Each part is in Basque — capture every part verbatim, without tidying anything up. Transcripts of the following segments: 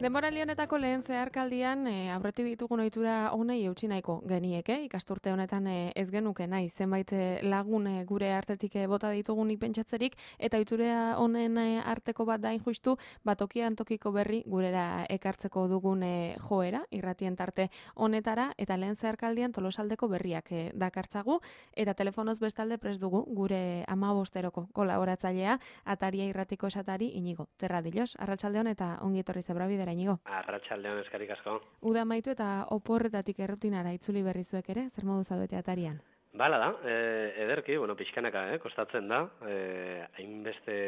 Denboraldi honetako lehen zeharkaldian e, aurretik ditugun ohitura honei eutsi nahiko genieke, ikasturte honetan e, ez genuke nahi zenbait e, lagun e, gure artetik e, bota ditugunik pentsatzerik, eta ohitura honen e, arteko bat dain justu, batokian tokiko berri gurera ekartzeko dugun e, joera, irratien tarte honetara, eta lehen zeharkaldian Tolosaldeko berriak e, dakartzagu, eta telefonoz bestalde prest dugu gure hamabosteroko kolaboratzailea, Ataria irratiko esatari Inigo Terradillos. Arratsaldeon eta ongi etorri Zebrabidera, Inigo. Arratsaldeon, eskerrik asko. Uda amaitu eta oporretatik errutinara itzuli berri zuek ere, zer modu zaudete Atarian? Bala da, e, ederki, bueno, pixkanaka, eh, kostatzen da, e, hainbeste,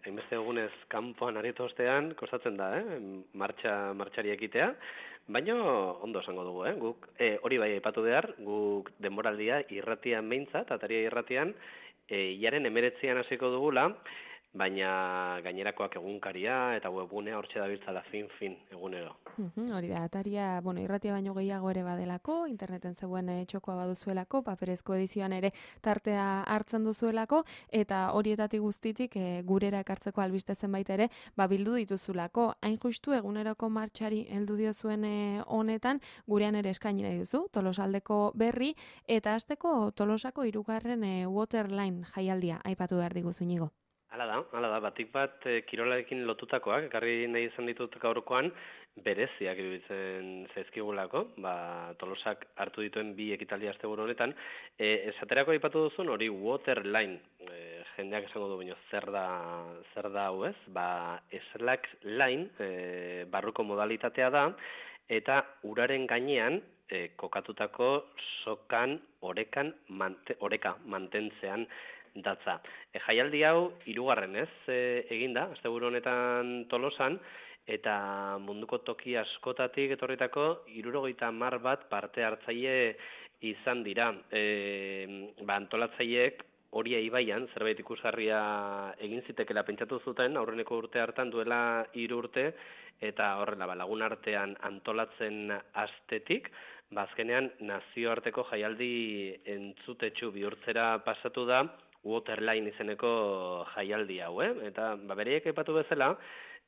hainbeste egunez kanpoan aritu ostean, kostatzen da, eh, martxa, martxari ekitea, baina ondo esango dugu, eh, guk, e, hori bai aipatu behar, guk denboraldia irratian behintzat, Ataria irratian, e, jaren emeretzian hasiko dugula, baina gainerakoak egunkaria eta webgunea hortxe dabiltzala fin-fin egunero. Uhum, hori da, Ataria, bueno, irratia baino gehiago ere badelako, interneten zegoen e, txokoa baduzuelako, paperezko edizioan ere tartea hartzen duzuelako, eta horietatik guztitik e, gurera ekartzeko albiste zenbait ere, ba, bildu dituzulako. Hain justu eguneroko martxari heldu diozuen e, honetan, gurean ere eskaini nahi duzu, Tolosaldeko berri, eta hasteko Tolosako hirugarren e, Waterline jaialdia aipatu behar diguzu, Inigo. Hala da, hala da, batik bat e, kirolarekin lotutakoak, ekarri nahi izan ditut gaurkoan, bereziak iruditzen zaizkigulako, ba, Tolosak hartu dituen bi ekitaldi asteburu honetan, e, esaterako aipatu duzun hori Waterline, e, jendeak esango du baino, zer da, zer da hau ez, ba, slack line, e, barruko modalitatea da, eta uraren gainean, e, kokatutako sokan, orekan, mante, oreka mantentzean datza. E, jaialdi hau hirugarren ez e, eginda, asteburu honetan Tolosan, eta munduko toki askotatik etorritako hirurogeita hamar bat parte hartzaile izan dira. E, ba, antolatzaileek Oria ibaian zerbait ikusgarria egin zitekela pentsatu zuten aurreneko urte hartan duela hiru urte, eta horrela ba, lagun artean antolatzen astetik, ba, azkenean nazioarteko jaialdi entzutetsu bihurtzera pasatu da Waterline izeneko jaialdi hau, eh? Eta ba, bereiek aipatu bezala,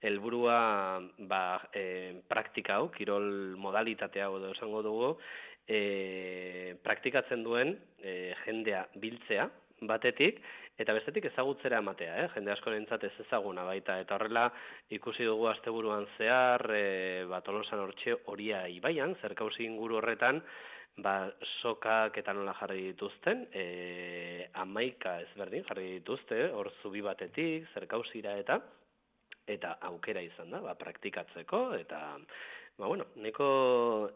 helburua ba, e, praktika hau, kirol modalitate hau edo esango dugu, e, praktikatzen duen e, jendea biltzea batetik, eta bestetik ezagutzera ematea, eh? Jende askorentzat ez ezaguna baita, eta horrela ikusi dugu asteburuan zehar, e, ba, Tolosan hortxe Oria ibaian, zerkausi inguru horretan, ba, sokak eta nola jarri dituzten, e, amaika ezberdin jarri dituzte, hor zubi batetik, zerkausira eta, eta aukera izan da, ba, praktikatzeko, eta, ba, bueno, neko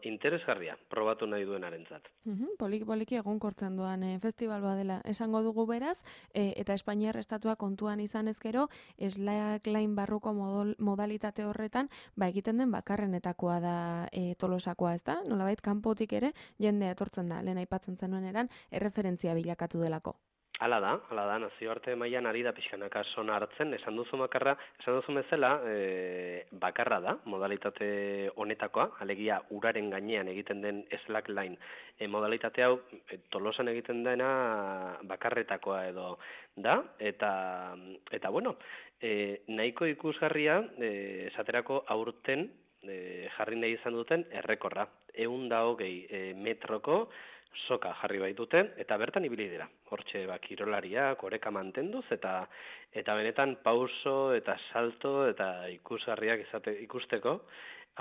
interesgarria probatu nahi duenarentzat. Uhum, poliki poliki egonkortzen duan e, festival badela esango dugu beraz, e, eta Espainiar estatua kontuan izan ezkero, slackline barruko modol, modalitate horretan, ba egiten den bakarrenetakoa da e, Tolosakoa, ez da? Nolabait kanpotik ere jendea etortzen da, lehen aipatzen zenuen eran, erreferentzia bilakatu delako. Hala da, hala da, nazioarte mailan ari da pixkanaka sona hartzen, esan duzu bakarra, esan duzu bezala, e, bakarra da, modalitate honetakoa, alegia uraren gainean egiten den slackline. E, modalitate hau, e, Tolosan egiten dena bakarretakoa edo da, eta, eta bueno, e, nahiko ikusgarria, e, esaterako aurten e, jarri nahi izan duten errekorra, ehun eta hogei e, metroko, soka jarri baituten, eta bertan ibili dira. Hortxe, ba, kirolariak, oreka mantenduz, eta eta benetan pauso, eta salto, eta ikusgarriak izate, ikusteko,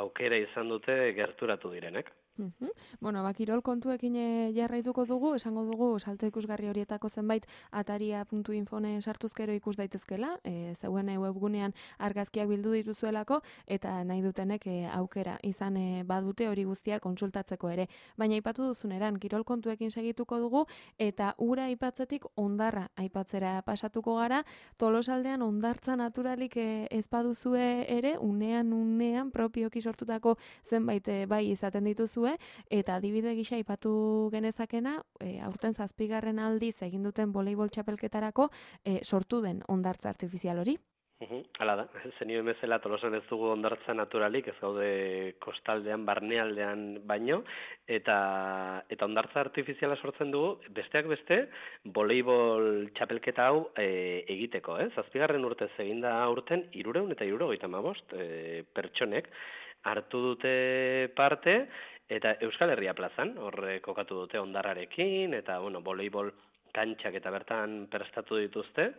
aukera izan dute gerturatu direnek. Uhum. Bueno, ba, kirol kontuekin e, jarraituko dugu, esango dugu salto ikusgarri horietako zenbait ataria puntu infone sartuzkero ikus daitezkela, e, zeuen webgunean argazkiak bildu dituzuelako, eta nahi dutenek e, aukera izan e, badute hori guztia kontsultatzeko ere. Baina aipatu duzuneran, kirol kontuekin segituko dugu, eta ura aipatzetik hondarra aipatzera pasatuko gara, Tolosaldean hondartza naturalik e, ez baduzue ere, unean unean propioki sortutako zenbait e, bai izaten dituzue, eta adibide gisa aipatu genezakena, e, aurten zazpigarren aldiz egin duten voleibol txapelketarako e, sortu den hondartza artifizial hori. Uhum, hala da, zenio emezela Tolosan ez dugu hondartza naturalik, ez gaude kostaldean, barnealdean baino, eta eta hondartza artifiziala sortzen dugu, besteak beste, voleibol txapelketa hau e, egiteko, eh? Zazpigarren urtez eginda aurten, hirurehun eta hirurogeita hamabost e, pertsonek, hartu dute parte, eta Euskal Herria plazan, horre kokatu dute Hondarrarekin, eta, bueno, voleibol kantxak eta bertan prestatu dituzte,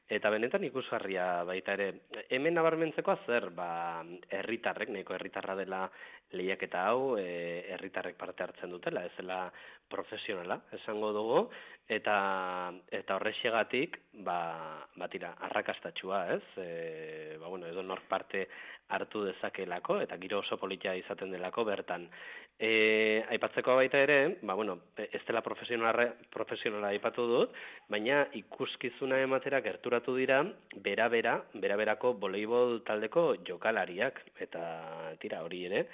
eta benetan ikusgarria baita ere. Hemen nabarmentzekoa zer, ba, herritarrek, nahiko herritarra dela lehiaketa hau, e, herritarrek parte hartzen dutela, ez dela profesionala, esango dugu, eta eta horrexegatik, ba, batira, arrakastatxua, ez? E, ba, bueno, edo nork parte hartu dezakelako, eta giro oso politia izaten delako bertan. E, aipatzeko baita ere, ba, bueno, ez dela profesionala, profesionala aipatu dut, baina ikuskizuna ematera gerturatu dira, bera-bera, bera-berako voleibol taldeko jokalariak, eta tira hori ere,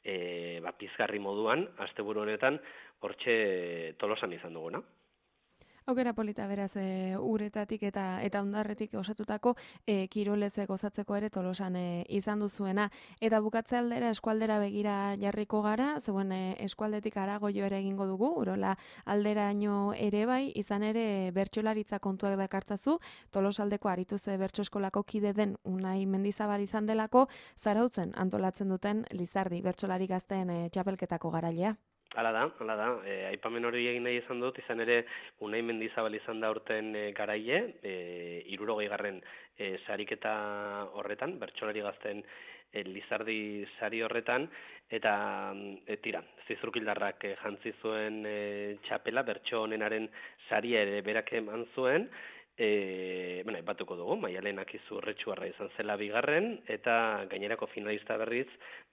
e, ba, pizgarri moduan, asteburu honetan, hortxe Tolosan izan duguna. Aukera polita beraz e, uretatik eta eta Hondarretik osatutako e, kirolez gozatzeko ere Tolosan e, izan duzuena. Eta bukatze aldera eskualdera begira jarriko gara, zeuen e, eskualdetik harago jo ere egingo dugu, Urola alderaino ere bai, izan ere bertsolaritza kontuak dakartzazu, Tolosaldeko Arituz bertso eskolako kide den Unai Mendizabal izan delako, Zarautzen antolatzen duten Lizardi bertsolari gazteen e, txapelketako garailea. Hala da, hala da. E, aipamen hori egin nahi izan dut, izan ere Unai Mendizabal izan da urten e, garaile, e, hirurogei garren e, sariketa horretan, bertsolari gazten e, Lizardi sari horretan, eta e, tira, Zizurkildarrak e, jantzi zuen e, txapela, bertso honenaren saria ere berak eman zuen, E, bueno, batuko dugu, Maialen Akizu Urretxuarra izan zela bigarren, eta gainerako finalista berriz,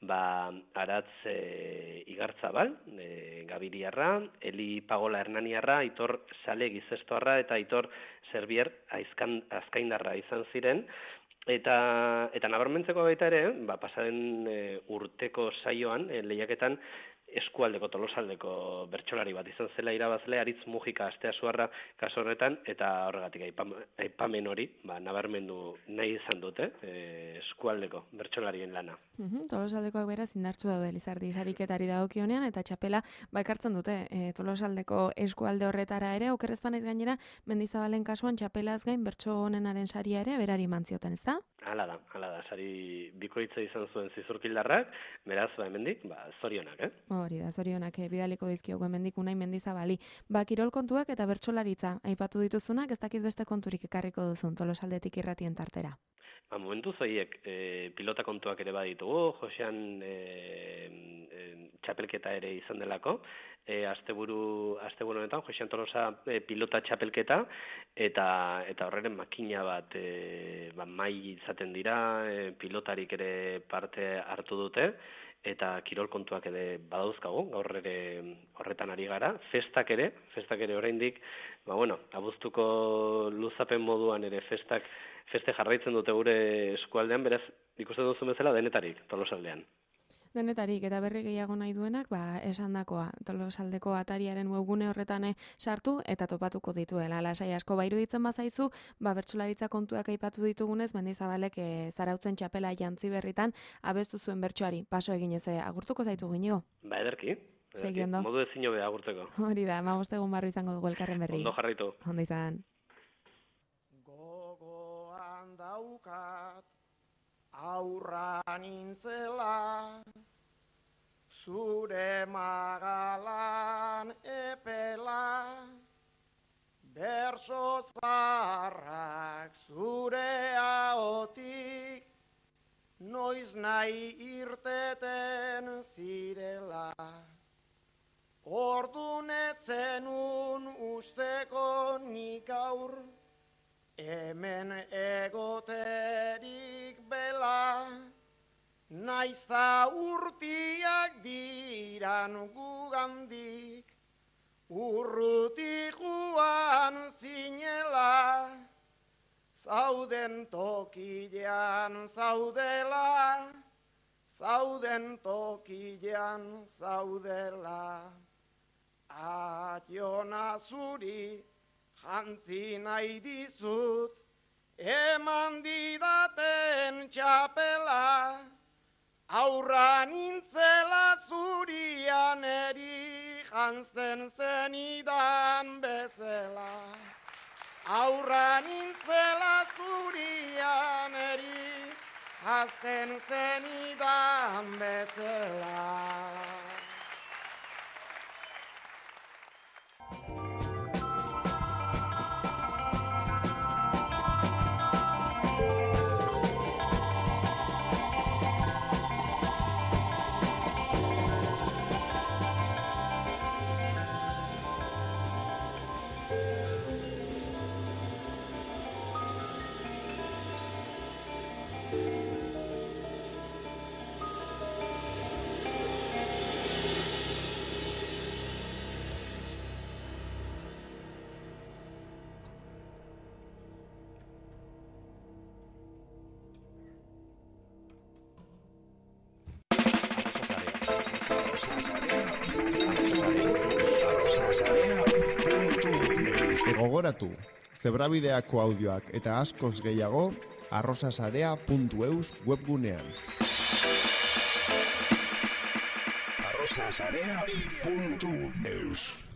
ba, Aratz e, Igartzabal, e, Gabiriarra, Eli Pagola Hernaniarra, Aitor Sale Gizestoarra, eta Aitor Serbier Aizkan, Azkaindarra izan ziren, eta, eta nabarmentzeko baita ere, ba, pasaren e, urteko saioan, e, lehiaketan, eskualdeko Tolosaldeko bertsolari bat izan zela irabazle, Aritz Mujika Asteasuarra kaso horretan, eta horregatik aipamen hori, ba, nabarmendu nahi izan dute, e, eskualdeko bertsolarien lana. Uhum, Tolosaldekoak beraz indartsu daude Lizardi sariketari dagokionean, eta txapela bakartzen dute e, Tolosaldeko eskualde horretara ere, okerrezpanez gainera, Mendizabalen kasuan txapelaz gain bertso honenaren saria ere berari mantzioten, ez da? Hala da, hala da, sari bikoitza izan zuen Zizurkildarrak, beraz, ba, hemendik, ba, zorionak, eh? Hori da, zorionak bidaliko dizkiogu hemendik Unai Mendizabali. Ba, kirol kontuak eta bertsolaritza aipatu dituzunak, ez dakit beste konturik ekarriko duzun Tolosaldetik irratien tartera. Ba, momentu zoiek e, pilota kontuak ere baditugu, Josean e, e, txapelketa ere izan delako, e, asteburu asteburu honetan Josean Tolosa e, pilota txapelketa, eta eta horreren makina bat e, ba, mai izaten dira, e, pilotarik ere parte hartu dute, eta kirol kontuak ere badauzkagu, gaur ere horretan ari gara, festak ere, festak ere oraindik, ba bueno, abuztuko luzapen moduan ere festak feste jarraitzen dute gure eskualdean, beraz, ikusten duzu bezala denetarik, Tolosaldean. Denetarik, eta berri gehiago nahi duenak, ba, esandakoa, Tolosaldeko atariaren webgune horretan sartu eta topatuko dituela. Lasai asko bairu ditzen bazaizu, ba, bertsolaritza kontuak aipatu ditugunez, Mendizabalek e, Zarautzen txapela jantzi berritan, abestu zuen bertsoari, paso eginez, agurtuko zaitu ginigo? Ba, ederki. Segi ondo. Modu ezin hobe agurtzeko. Hori da, magostegun barru izango dugu elkarren berri. Ondo jarraitu. Ondo izan. Gogoan daukat aurra nintzela, zure magalan epela, berso zaharrak zure ahotik, noiz nahi irteten zirela. Ordun etzenun usteko nik aur, hemen egoterik bela, naizta urtiak diran gugandik, urrutik joan zinela, zauden tokilean zaudela, zauden tokilean zaudela. Ationa zuri jantzi nahi dizut, eman didaten txapela, aurra nintzela zurian eri jantzen zenidan bezala. Aurra nintzela zurian eri hazten zenidan bezala. Gogoratu, Zebrabideako audioak eta askoz gehiago arrosasarea puntu eus webgunean. arrosasarea puntu eus